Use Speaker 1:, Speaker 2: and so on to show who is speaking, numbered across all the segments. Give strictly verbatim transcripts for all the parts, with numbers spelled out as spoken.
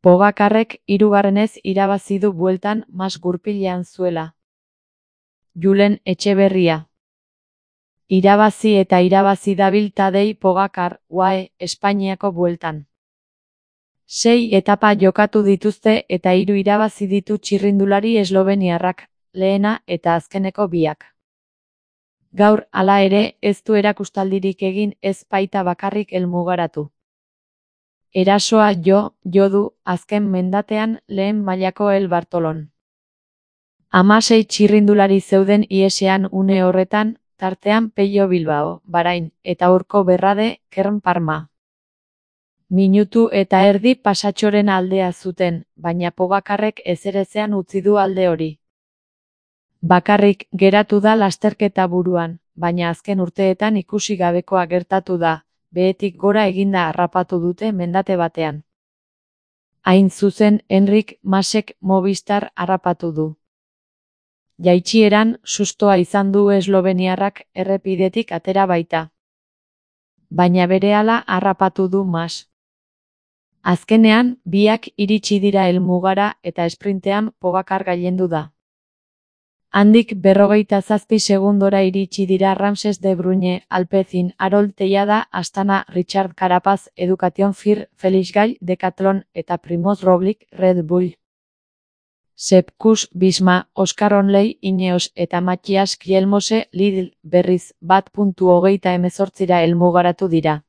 Speaker 1: Pogakarrek hirugarrenez irabazi du bueltan mas gurpilean zuela. Julen Etxeberria. Irabazi eta irabazi dabil Tadej Pogacar, U A E, Espainiako bueltan. Sei etapa jokatu dituzte eta hiru irabazi ditu txirrindulari esloveniarrak, lehena eta azkeneko biak. Gaur, hala ere, ez du erakustaldirik egin, ez baita bakarrik helmugaratu. Erasoa jo, jo du, azken mendatean lehen mailako El Bartolon. Hamasei txirrindulari zeuden iesean une horretan, tartean Pello Bilbao, Bahrain, eta Urko Berrade, Kern Parma. Minutu eta erdi pasatxoren aldea zuten, baina Pogakarrek ezerezean utzi du alde hori. Bakarrik geratu da lasterketa buruan, baina azken urteetan ikusi gabekoa gertatu da, behetik gora eginda harrapatu dute mendate batean. Hain zuzen, Enric Masek Movistar harrapatu du. Jaitsieran, sustoa izan du esloveniarrak errepidetik atera baita. Baina berehala harrapatu du Mas. Azkenean, biak iritsi dira helmugara eta esprintean Pogacar gailendu da. Handik berrogeita zazpi segundora iritsi dira Ramses de Bruyne, Alpecin, Harold Tellada, Astana, Richard Carapaz, Education Fir, Felix Gall, Decathlon eta Primoz Roglic, Red Bull. Sepp Kuss, Visma, Oscar Onley, Ineos eta Matthias Kjelmose, Lidl, berriz, bat puntu hogeita hemezortzira helmugaratu dira.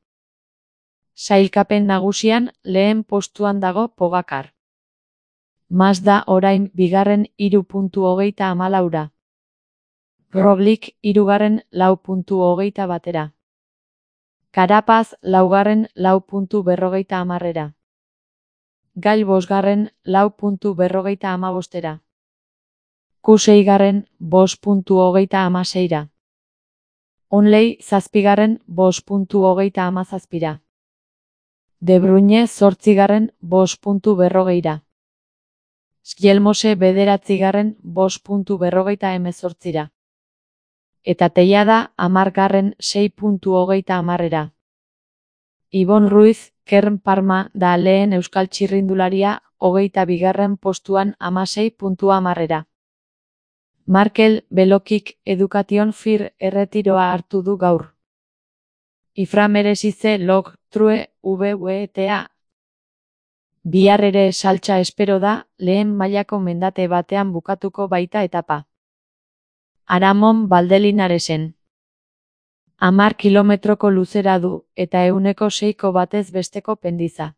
Speaker 1: Sailkapen nagusian, lehen postuan dago Pogacar. Mas da orain bigarren hiru puntu hogeita hamalaura. Roglic hirugarren lau puntu hogeita batera. Carapaz laugarren lau puntu berrogeita hamarrera. Gall bosgarren lau puntu berrogeita hamabostera. Kuss seigarren bost puntu hogeita hamaseira. Onley zazpigarren bost puntu hogeita hamazazpira. De Bruyne zortzigarren bost puntu berrogeira. Kjelmose bederatzigarren bost puntu berrogeita hemezortzira. Eta Tellada hamargarren sei puntu hogeita hamarrera. Ibon Ruiz, Kern Parma da lehen euskal txirrindularia, hogeita bigarren postuan hamasei puntu hamarrera. Markel Belokik Education Fir erretiroa hartu du gaur. Ifra Meresize Log True V W T A. Bihar ere saltsa espero da, lehen mailako mendate batean bukatuko baita etapa. Aramon Valdelinaresen. Hamar kilometroko luzera du, eta ehuneko seiko batez besteko pendiza.